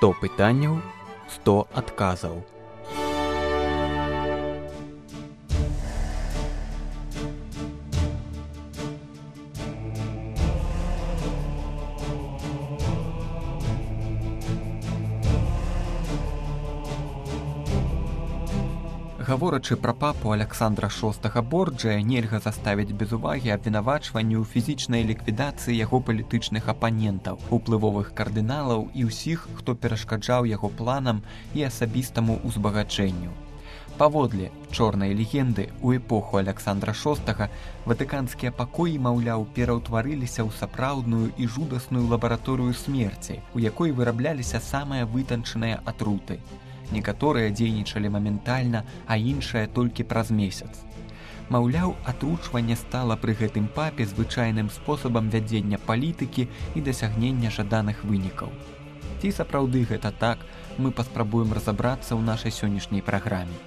100 пытанняў, 100 адказаў. Гаворачы пра папу Аляксандра VI Борджыя, нельга заставіць без увагі абвінавачванні ў фізічнай ліквідацыі яго палітычных апанентаў, уплывовых кардыналаў і ўсіх, хто перашкаджаў яго планам і асабістаму ўзбагачэнню. Паводле чорнай легенды, у эпоху Аляксандра VI ватыканскія пакоі, маўляў, пераўтварыліся ў сапраўдную і жудасную лабараторыю смерці, у якой вырабляліся самыя вытанчаныя атруты. Некаторыя дзейнічалі моментальна, а іншыя толькі праз месяц. Маўляў, атручванне стала пры гэтым папе звычайным спосабам вядзення палітыкі і дасягнення жаданых вынікаў. Ці сапраўды гэта так, мы паспрабуем разабрацца ў нашай сённяшняй праграме.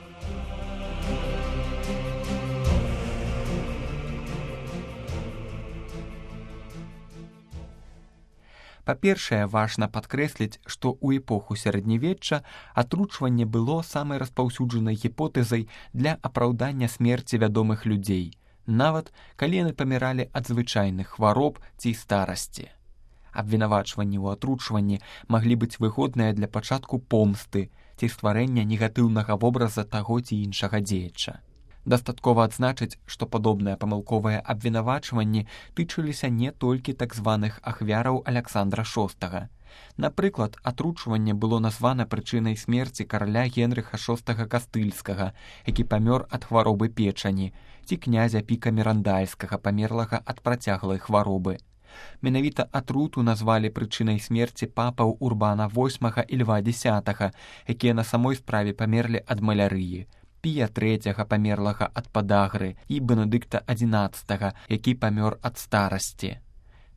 Па-першае, важна падкрэсліць, што ў эпоху сярэднявечча атручванне было самай распаўсюджанай гіпотэзай для апраўдання смерці вядомых людзей, нават калі яны паміралі ад звычайных хвароб ці старасці. Абвінавачванні ў атручванні маглі быць выгодныя для пачатку помсты ці стварэння негатыўнага вобраза таго ці іншага дзеяча. Дастаткова адзначыць, што падобныя памылковыя абвінавачванні тычыліся не толькі так званых ахвяраў Аляксандра VI. Напрыклад, атручванне было названа прычынай смерці караля Генрыха VI Кастыльскага, які памёр ад хваробы печані, ці князя Піка Мірандальскага, памерлага ад працяглай хваробы. Менавіта атруту назвалі прычынай смерці папаў Урбана VIII і Льва X, якія на самой справе памерлі ад малярыі, Пія III, памерлага ад падагры, і Бенедыкта XI, які памёр ад старасці.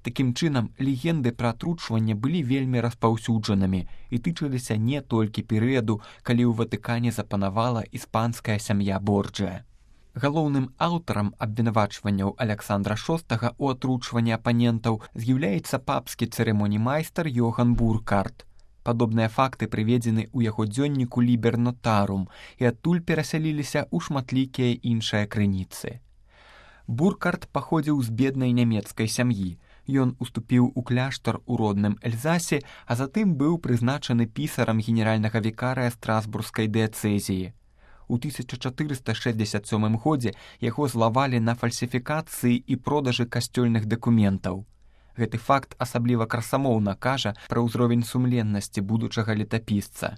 Такім чынам, легенды пра атручванне былі вельмі распаўсюджанымі і тычыліся не толькі перыяду, калі ў Ватыкане запанавала іспанская сям'я Борджыя. Галоўным аўтарам абвінавачванняў Аляксандра VI у атручванні апанентаў з'яўляецца папскі цырымонімайстар Йоган Буркарт. Падобныя факты прыведзены ў яго дзённіку Лібер Нотарум і адтуль перасяліліся ў шматлікія іншыя крыніцы. Буркарт паходзіў з беднай нямецкай сям'і. Ён уступіў у кляштар у родным Эльзасе, а затым быў прызначаны пісарам генеральнага вікарыя Страсбургскай дыяцэзіі. У 1467 годзе яго злавалі на фальсіфікацыі і продажы касцёльных дакументаў. Гэты факт асабліва красамоўна кажа пра ўзровень сумленнасці будучага летапісца.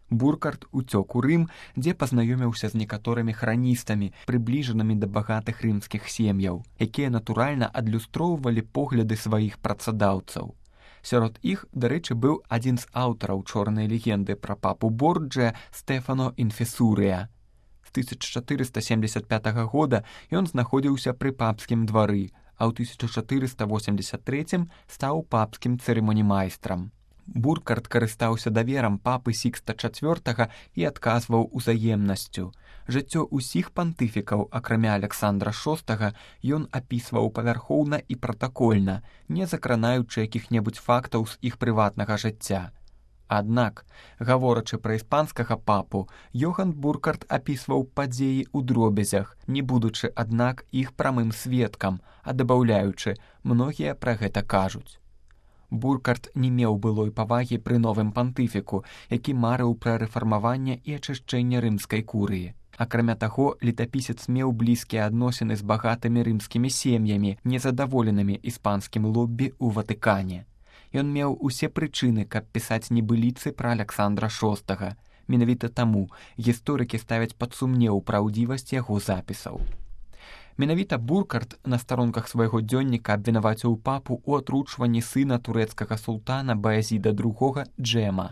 Буркарт уцёк у Рым, дзе пазнаёміўся з некаторымі храністамі, прыбліжанымі да багатых рымскіх сем'яў, якія натуральна адлюстроўвалі погляды сваіх працадаўцаў. Сярод іх, дарэчы, быў адзін з аўтараў чорнай легенды пра папу Борджыя Стэфано Інфесурыя. З 1475 года ён знаходзіўся пры папскім двары, а ў 1483 стаў папскім цырымонімайстрам. Буркарт карыстаўся даверам папы Сікста IV і адказваў узаемнасцю. Жыццё ўсіх пантыфікаў, акрамя Аляксандра VI, ён апісваў павярхоўна і пратакольна, не закранаючы якіх-небудзь фактаў з іх прыватнага жыцця. Аднак, гаворачы пра іспанскага папу, Йоган Буркарт апісваў падзеі ў дробязях, не будучы, аднак, іх прамым сведкам, а дабаўляючы, многія пра гэта кажуць. Буркарт не меў былой павагі пры новым пантыфіку, які марыў пра рэфармаванне і ачышчэнне рымскай курыі. Акрамя таго, летапісец меў блізкія адносіны з багатымі рымскімі сем'ямі, незадаволенымі іспанскім лоббі ў Ватыкане. Ён меў усе прычыны, каб пісаць небыліцы пра Аляксандра VI. Менавіта таму гісторыкі ставяць пад сумнеў праўдзівасць яго запісаў. Менавіта Буркарт на старонках свайго дзённіка абвінаваціў папу ў атручванні сына турэцкага султана Баязіда II Джэма.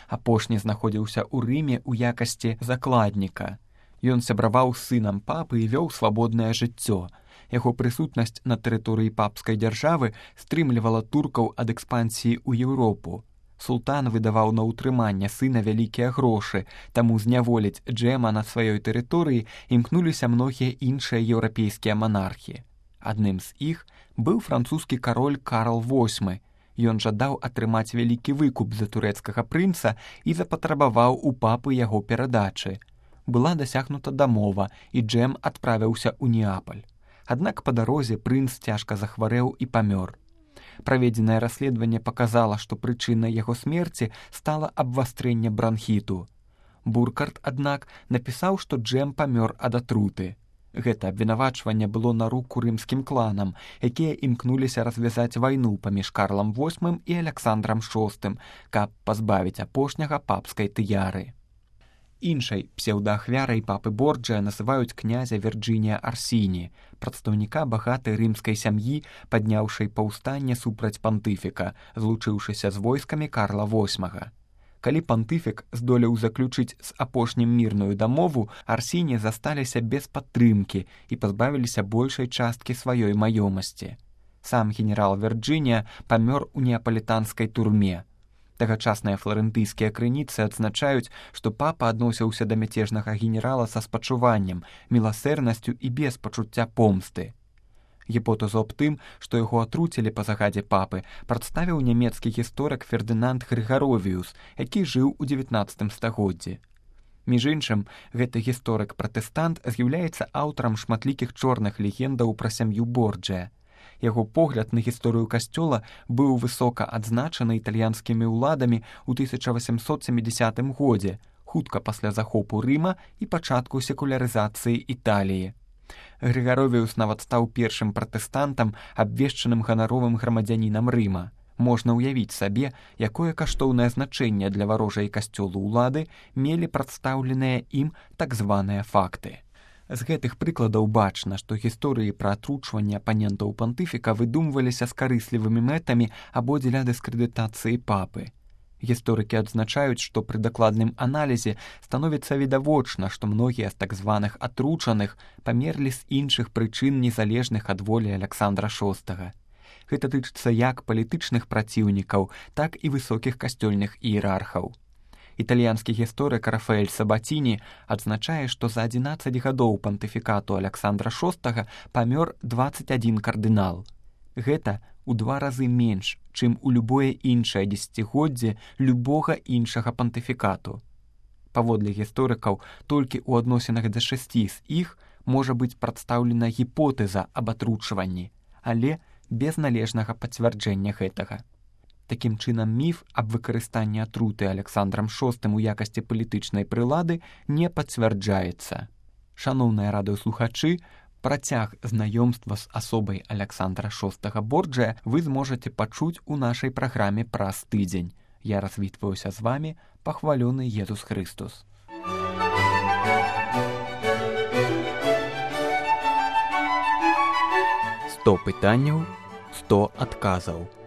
Апошні знаходзіўся ў Рыме ў якасці закладніка. Ён сябраваў з сынам папы і вёў свабоднае жыццё. Яго прысутнасць на тэрыторыі папскай дзяржавы стрымлівала туркаў ад экспансіі ў Еўропу. Султан выдаваў на ўтрыманне сына вялікія грошы, таму зняволіць Джэма на сваёй тэрыторыі імкнуліся многія іншыя еўрапейскія манархі. Адным з іх быў французскі кароль Карл VIII. Ён жадаў атрымаць вялікі выкуп за турэцкага прынца і запатрабаваў у папы яго перадачы. Была дасягнута дамова, і Джэм адправіўся ў Неапаль. Аднак па дарозе прынц цяжка захварэў і памёр. Праведзенае расследаванне паказала, што прычынай яго смерці стала абвастрэнне бранхіту. Буркарт, аднак, напісаў, што Джэм памёр ад атруты. Гэта абвінавачванне было на руку рымскім кланам, якія імкнуліся развязаць вайну паміж Карлам VIII і Аляксандрам VI, каб пазбавіць апошняга папскай тыяры. Іншай псеўдаахвярай папы Борджыя называюць князя Вірджынія Арсіні, прадстаўніка багатай рымскай сям'і, падняўшай паўстанне супраць пантыфіка, злучыўшыся з войскамі Карла VIII. Калі пантыфік здолеў заключыць з апошнім мірную дамову, Арсіні засталіся без падтрымкі і пазбавіліся большай часткі сваёй маёмасці. Сам генерал Вірджынія памёр у неапалітанскай турме. Тагачасныя фларэнтыйскія крыніцы адзначаюць, што папа адносіўся да мяцежнага генерала са спачуваннем, міласэрнасцю і без пачуцця помсты. Гіпотэзу аб тым, што яго атруцілі па загадзе папы, прадставіў нямецкі гісторык Фердынанд Грыгаровіус, які жыў у 19 стагоддзі. Між іншым, гэты гісторык-пратэстант з'яўляецца аўтарам шматлікіх чорных легендаў пра сям'ю Борджыя. Яго погляд на гісторыю касцёла быў высока адзначаны італьянскімі ўладамі ў 1870 годзе, хутка пасля захопу Рыма і пачатку секулярызацыі Італіі. Грыгаровіус нават стаў першым пратэстантам, абвешчаным ганаровым грамадзянінам Рыма. Можна ўявіць сабе, якое каштоўнае значэнне для варожай касцёлу ўлады мелі прадстаўленыя ім так званыя факты. З гэтых прыкладаў бачна, што гісторыі пра атручванне апанентаў пантыфіка выдумваліся з карыслівымі мэтамі або дзеля дыскрэдытацыі папы. Гісторыкі адзначаюць, што пры дакладным аналізе становіцца відавочна, што многія з так званых атручаных памерлі з іншых прычын незалежных ад волі Аляксандра VI. Гэта тычыцца як палітычных праціўнікаў, так і высокіх касцёльных іерархаў. Італьянскі гісторык Рафаэль Сабаціні адзначае, што за 11 гадоў пантыфікату Аляксандра VI памёр 21 кардынал. Гэта у 2 разы менш, чым у любое іншае дзесяцігоддзе любога іншага пантыфікату. Паводле гісторыкаў, толькі ў адносінах да 6 з іх можа быць прадстаўлена гіпотэза аб атручванні, але без належнага пацвярджэння гэтага. Такім чынам, міф аб выкарыстанні атруты Аляксандрам VI у якасці палітычнай прылады не пацвярджаецца. Шаноўныя радыёслухачы, працяг знаёмства з асобай Аляксандра VI Борджыя вы зможаце пачуць у нашай праграме праз тыдзень. Я развітваюся з вамі, пахвалёны Езус Хрыстус. «100 пытанняў, 100 адказаў».